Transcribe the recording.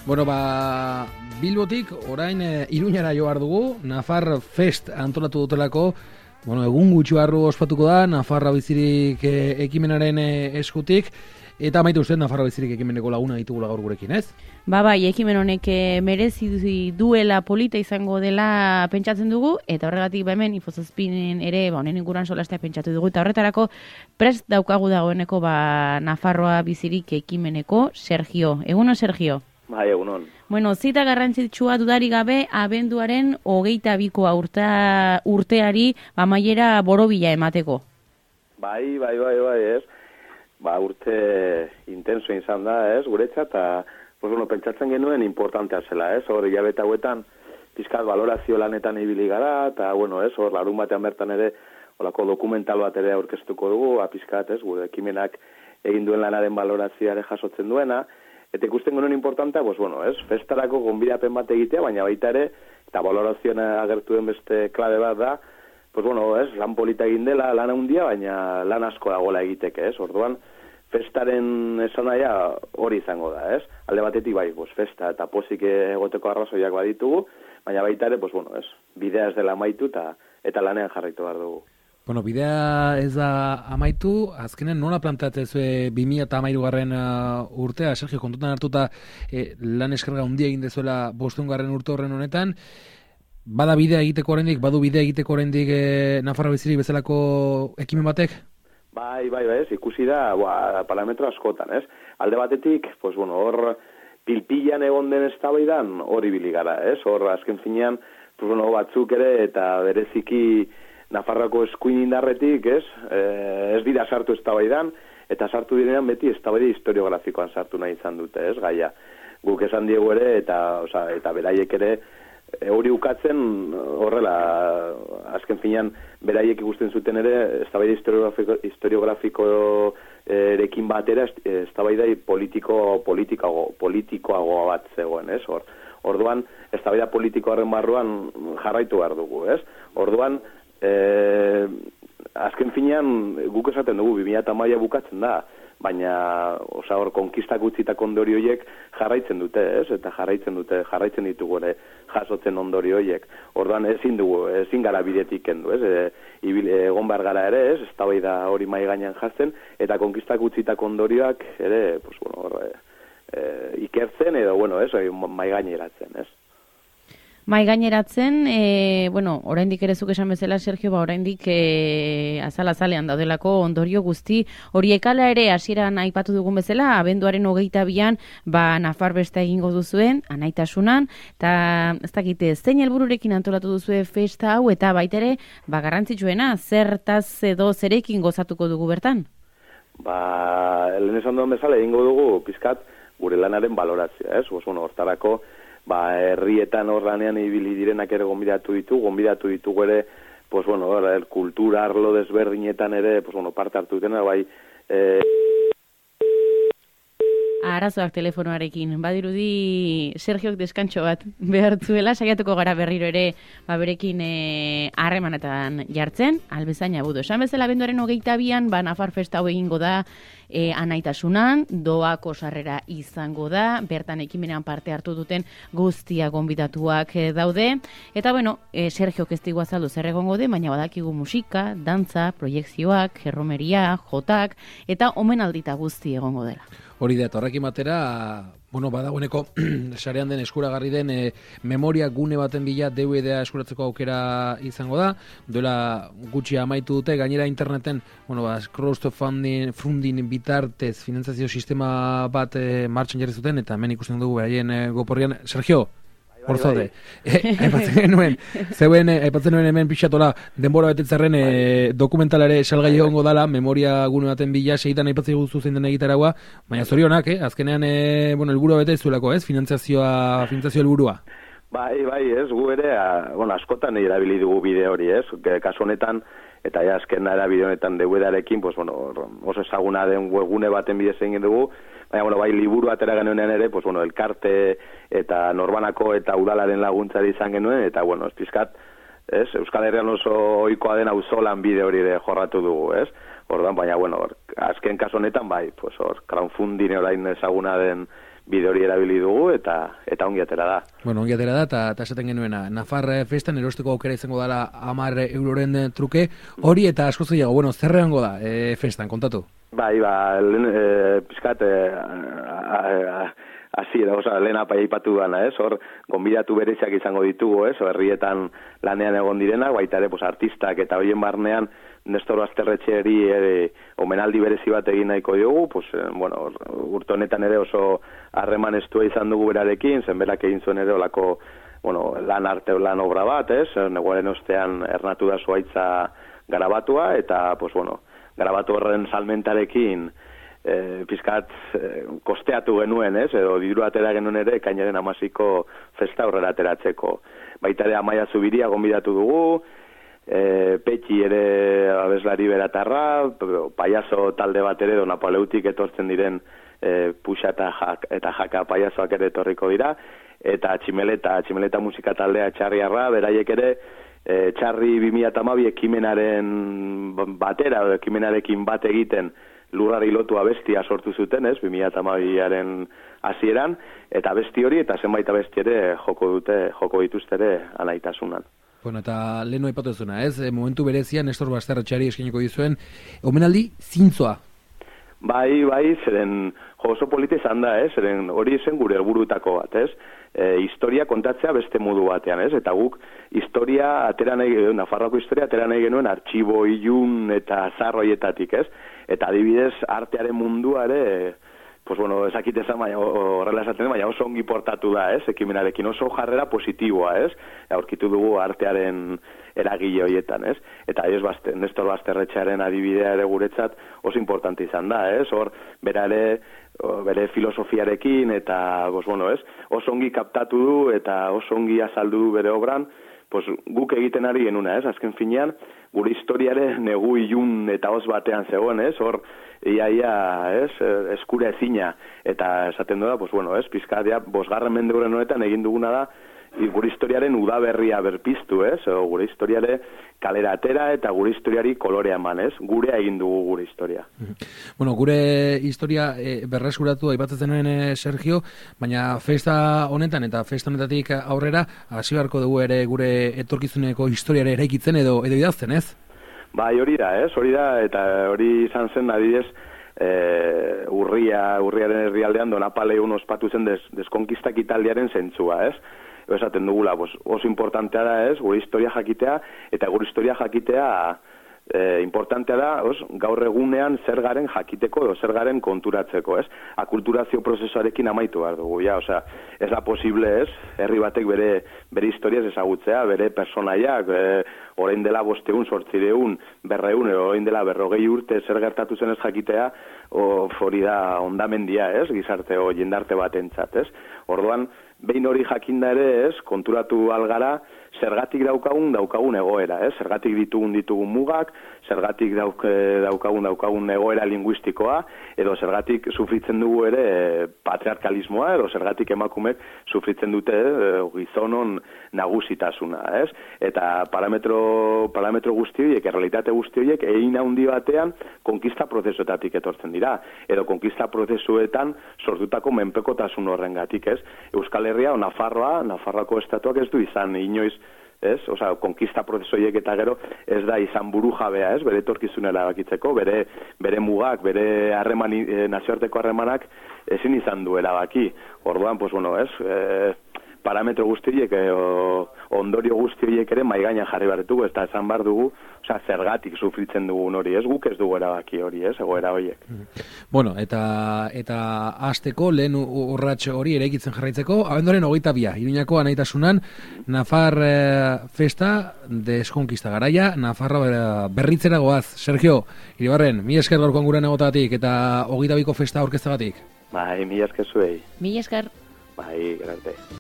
Bueno, Bilbotik orain Iruñara joar dugu, Nafar Fest antolatu dutelako, egun gutxi barru ospatuko da, Nafarra Bizirik ekimenaren eskutik, eta amaitu uste Nafarra Bizirik ekimeneko laguna ditugula gaur gurekin, ez? Bai, ekimen honek merezi duela polita izango dela pentsatzen dugu, eta horregatik hemen Infozazpinen ere honen inguruan solastea pentsatu dugu, eta horretarako prest daukagu dagoeneko Nafarroa Bizirik ekimeneko Sergio. Eguno, Sergio? Bai, egunon. Zita garrantzitsua dudarik gabe, abenduaren 22ko urteari amaiera borobila emateko. Bai, ez. Urte intenso izan da, ez, guretzat, eta pentsatzen genuen importantea zela, ez, hor hilabete hauetan pizkat valorazio lanetan ibili gara, eta, ez, hor larun batean bertan ere, holako dokumental bat ere aurkeztuko dugu, pizkat, ez, gure ekimenak egin duen lanaren valorazioare jasotzen duena, eta ikusten genuen importantea, ez, festarako gonbidapen bat egitea, baina baita ere, eta valorazioan agertu den beste klabe bat da, ez, lan polita egin dela, lan handia, baina lan asko dagoela egiteke, ez, orduan, festaren esanaia hori izango da, ez? Alde batetik bai, festa eta pozik egoteko arrazoiak baditugu, baina baita ere, ez, bidea ez dela amaitu eta lanean jarraitu behar dugu. Bidea ez da amaitu, azkenen nola planteatzen 2013 urtea, Sergio, kontutan hartuta lan eskerga handia egin dezuela 500. urte horren honetan, bada bidea egiteko oraindik, badu bidea egiteko oraindik Nafarroa Bizirik bezalako ekimen batek? Bai, ez, ikusi da, parametro askotan, ez? Alde batetik, hor pilpilan egon den eztabaidan hori ibili gara, ez? Hor azken finean, batzuk ere eta bereziki Nafarroako eskuin indarretik, ez? Ez dira sartu eztabaidan, eta sartu direnean beti eztabaida historiografikoan sartu nahi izan dute, ez? Gaia, guk esan diegu ere, eta beraiek ere, hori ukatzen horrela, azken finean, beraiek ikusten zuten ere, eztabaida historiografiko erekin batera, eztabaida politikoagoa bat zegoen, ez? Orduan, eztabaida politikoaren barruan jarraitu behar dugu, ez? Orduan, azken finean, guk esaten dugu, 2010 bukatzen da, baina hor konkistak utzitako ondorio horiek jarraitzen dute, ez? Eta jarraitzen ditugu ere jasotzen ondorio horiek. Orduan ezin gara bidetik kendu, ez? Egon behar gara ere, ez? Eztabaida hori mahai gainean jartzen, eta konkistak utzitako ondorioak ere, ikertzen edo, ez? Mahai gaineratzen, ez? Mai gaineratzen, oraindik ere zuk esan bezala, Sergio, oraindik azal-azalean daudelako ondorio guzti horiek ala ere hasieran aipatu dugun bezala, abenduaren 22an Nafar Festa egingo duzuen, anaitasunan, eta ez dakite, zein helbururekin antolatu duzue festa hau, eta baita ere, garrantzitsuena, zertaz edo zerekin gozatuko dugu bertan? Lehen esan duen bezala egingo dugu, pizkat, gure lanaren valorazioa, ez? Hortarako, herrietan horranean ibili direnak ere gonbidatu ditugu ere, kultura arlo desberdinetan ere, parte hartu dutena, Arazoak telefonoarekin, badirudi Sergiok deskantxo bat behartzuela, saiatuko gara berriro ere berekin harremanetan jartzen, albezaina budu. Esan bezala abenduaren 22an, Nafar Festa hau egingo da anaitasunan, doako sarrera izango da, bertan ekimenean parte hartu duten guztia gonbidatuak daude, eta Sergiok ez digu azaldu zer egongo de, baina badakigu musika, dantza, proiekzioak, erromeria, jotak, eta omenaldita guzti egongo dela. Hori da, horrekin batera, badagoeneko sarean den eskuragarri den memoria gune baten bila DVD-a eskuratzeko aukera izango da, duela gutxi amaitu dute, gainera interneten, crowdfunding bitartez finantzazio sistema bat martxan jarri zuten, eta hemen ikusten dugu beraien goporrian. Sergio, hor zaude. Aipatzen nuen hemen pixatola denbora betetzarren dokumentalare salgai egongo dala, memoria gune baten bila, segitan aipatzen guzu zein den egitaragua, baina zorionak, azkenean helburua bete zuelako, ez? Finantzazio helburua. Bai, ez, gu ere, askotan erabili dugu bide hori, ez? Kasu honetan, eta azken erabide honetan DVD-arekin, oso ezaguna den webgune baten bidez egin dugu, baina, liburu atera genuenean ere, elkarte eta norbanako eta udalaren laguntzari izan genuen, eta, ez pizkat, ez, Euskal Herrian oso ohikoa den auzolan bide hori de jorratu dugu, ez? Ordan, baina, azken kaso honetan, crowdfunding orain ezaguna den bide hori erabili dugu eta ongi atera da. Bueno, ongi atera da, eta esaten genuena, Nafar festan erosteko aukera izango dela 10 euroren truke, hori eta asko gehiago, bueno, zer egongo da festan, kontatu? Bai, pizkat, lehen aipatu dana, hor, gonbidatu bereziak izango ditugu, herrietan lanean egon direnak, baita ere, artistak eta horien barnean, Nestor Basterretxeari omenaldi berezi bat egin nahiko diogu, urte honetan ere oso harreman estua izan dugu berarekin, zen berak egin zuen ere olako, lan obra bat, neguaren ostean ernatu da zuaitza garabatua, eta, garabatu horren salmentarekin pizkat kosteatu genuen, edo diru atera genuen ere, ekainaren 16ko festa horrela ateratzeko. Baita ere Amaia Zubiria gonbidatu dugu, Petxi ere abeslari beratarra, paiazo talde bat ere, Napaleutik etortzen diren puxa eta jaka paiazoak ere etorriko dira, eta tximeleta musika taldea Txarriarra, beraiek ere, Txarri 2012 ekimenaren batera, ekimenarekin bat egiten lurrari lotu abestia sortu zuten, 2012aren hasieran, eta abesti hori eta zenbait abesti ere joko dituzte ere alaitasunan. Bueno, eta lehenu aipatu zuna, momentu berezian Nestor Basterretxeari eskainiko dizuen omenaldi zintzoa. Bai, zeren oso polita izan da, zeren hori zen gure helburutako bat, historia kontatzea beste modu batean, eta guk historia atera nahi, Nafarroako historia atera nahi genuen artxibo, ilun eta zarroietatik, eta adibidez artearen mundua ere, ezakit ezan, horrela esaten, baina oso ongi portatu da, ekimenarekin, oso jarrera positiboa, aurkitu dugu artearen eragile horietan, eta Nestor Basterretxearen adibidea ere guretzat oso importante izan da, hor bere filosofiarekin, eta oso ongi kaptatu du, eta oso ongi azaldu du bere obran, guk egiten ari genuna, azken finean, gure historiare negu ilun eta hoz batean zegoen, hor iaia, eskura ezina, eta esaten da, pizkadia, 5. mende honetan egin duguna da, gure historiaren udaberria berpiztu, gure historiare kalera atera eta gure historiari kolorea eman, gurea egin dugu gure historia. Bueno, gure historia berreskuratu aipatzen nuen Sergio, baina festa honetan eta festa honetatik aurrera hasi beharko dugu ere gure etorkizuneko historiare eraikitzen edo idazten, Bai, hori da, eta hori izan zen adibidez urriaren herrialdean Donapaleun ospatu zen deskonkistak Italiaren zentzua, esaten dugula, oso importantea da, gure historia jakitea, eta gure historia jakitea importantea da, gaur egunean zer garen jakiteko edo zer garen konturatzeko, akulturazio prozesuarekin amaitu behar dugu, ez da posible, herri batek bere historiaz ezagutzea, bere personaiak, orain dela 500, 800, 200, orain dela 40 urte zer gertatu zen ez jakitea, hori da ondamendia, gizarte o jendarte batentzat, Orduan, behin hori jakinda ere, konturatu algara, zergatik daukagun egoera, zergatik ditugun mugak, zergatik daukagun egoera linguistikoa, edo zergatik sufritzen dugu ere patriarkalismoa, edo zergatik emakumek sufritzen dute gizonon nagusitasuna, Eta parametro guzti horiek, errealitate guzti horiek, egin handi batean konkista prozesuetatik etortzen dira, edo konkista prozesuetan sortutako menpekotasun horrengatik, Euskal Herria o Nafarroako estatuak ez du izan inoiz, konkista prozesoiek eta gero ez da izan burujabea, bere etorkizunera erabakitzeko, bere mugak, bere nazioarteko harremanak ezin izan du erabaki. Orduan, parametro guztiek, ondorio guztiek ere maigaina jarri behar ditugu, eta esan behar dugu, zergatik sufritzen dugun hori, guk ez dugu erabaki hori, egoera horiek. Bueno, eta hasteko lehen urrats hori eraikitzen jarraitzeko, abenduaren 22, Iruñako Anaitasunan, Nafar festa deskonkista garaia, Nafarra berritzera goaz. Sergio, Iribarren, mi esker gaurkoan gure negotatik, eta 22ko festa aurkeztegatik. Bai, mi esker zuei. Mi esker. Bai, grande.